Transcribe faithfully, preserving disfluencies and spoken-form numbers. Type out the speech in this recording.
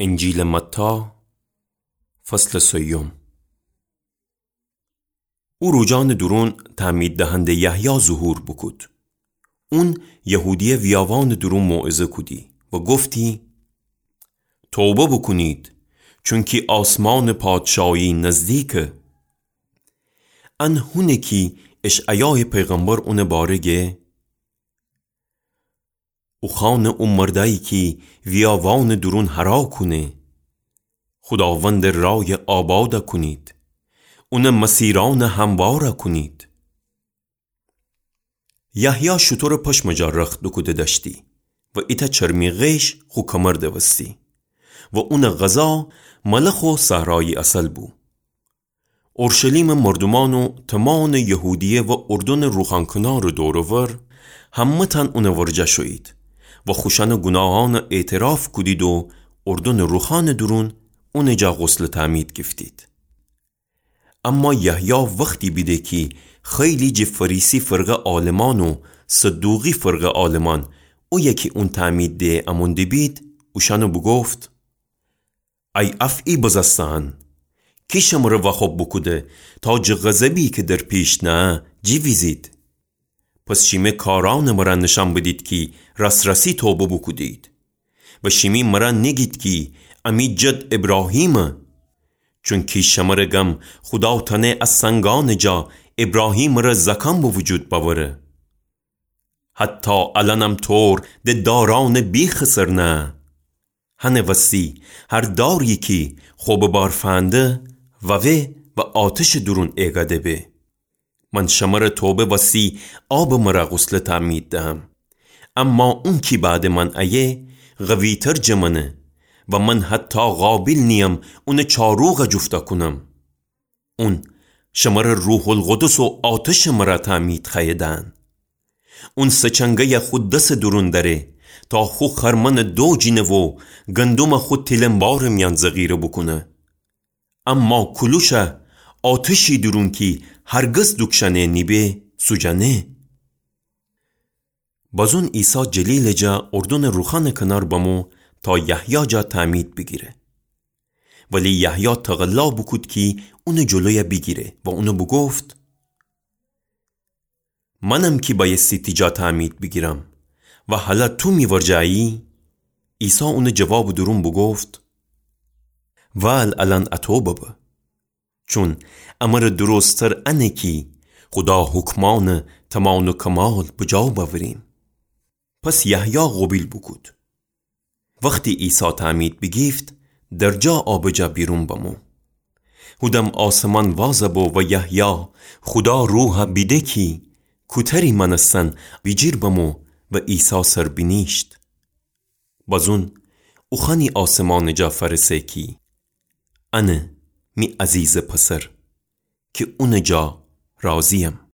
انجیلٚ متی، فصلٚ سیوم. او روجانٚ دورون تعمید دهنده یحیی ظهور بوکود. اون یهودیه ویاوانٚ دورون موعظه کودی و گفتی: توبه بوکونید، چونکی آسمانٚ پادشاهی نزدیکه. ان هونه کی اشعیایٚ پیغمبر اونٚ باره گه: اوخوانٚ او مردأیی کی ویاوانٚ دورون هرا کونه: خوداوندٚ رای آباد کونید، اونٚ مسیرأن هموار کونید. یحیی شوتورٚ پشمٚ جا رخت دوکوده دأشتی و ایتأ چرمی غیش خو کمر دوستی و اونٚ غذا ملخ و صحرایی عسل بو. اورشلیمٚ مردومأن و تمامٚ یهودیه و اردنٚ روخانٚ کنارٚ دور و ور همه‌تأن اونٚ ورجه شویید و خوشأنٚ گوناهأن اعتراف کودید و اردنٚ روخانٚ دورون اونٚ جا غسلٚ تعمید گیفتید. اما یحیی وختی بیده کی خیلی جٚه فریسی فرقه عالمأن و صدوقی فرقه عالمأن اویه کی اون تعمید ده امون دیبید، اوشأن بوگفت: ای افعی بزسته‌أن، کی شمره واخوب بوکوده تا جٚه غضبی کی در پیش نهه جیویزید؟ پس شیمه کارأنٚ مره نیشأن بدید کی راس‌راسی توبه بوکودید و شیمی مره نیگید کی امی جد ابراهیمه، چونکی شمره گم خودا تأنه ا سنگأنٚ جا ابراهیمٚ ره زأکأن به وجود بأوره. حتی الأنم طور د دارأنٚ بیخٚ سر نهه. هنٚ وستی هر داری کی خو به بار فنده ووه و آتشٚ دورون ایگده به. من شمره توبه وستی آبٚ مره غسلٚ تعمید دهم، اما اون کی بعدٚ من ایه قوی‌تر جٚه منه و من حتی قابل نییم اونٚ چاروغ جفته کونم. اون شمره روح‌القدس و آتشٚ مره تعمید خوأیه دهن. اون سه‌چنگه‌یه خو دسٚ دورون دأره تا خو خرمنٚ دو جینه و گندمه خو تیلنبارٚ میأن ذخیره بوکونه. اما کولوشه آتشی دورون کی هرگز دوکشأنه نیبه سوجأنه. بازون عیسی جلیلٚ جا اردنٚ روخانٚ کنار بمو تا یحیی جا تعمید بیگیره. ولی یحیی تقلا بوکود کی اونٚ جلویه بیگیره و اون بوگفت: منم کی بأیستی تی جا تعمید بیگیرم و هلأ تو می ورجه أیی؟ عیسی اونٚ جوابٚ دورون بوگفت: وال الأن اطو ببه، چون امره درست‌تر انه کی خودا حکمأنٚ تمام و کمال بجا بأوریم. پس یحیی قوبیل بوکود. وختی عیسی تعمید بیگیفت، در جا آبٚ جا بیرون بمو. هودم آسمان وازَ بو و یحیی خودا روحَ بیده کی کوتری مأنستن بیجیر بمو و عیسی سر بینیشت. بازون اوخوأنی آسمانٚ جا فأرسه کی انه می عزیزٚ پسر کی اونٚ جا راضی‌یم.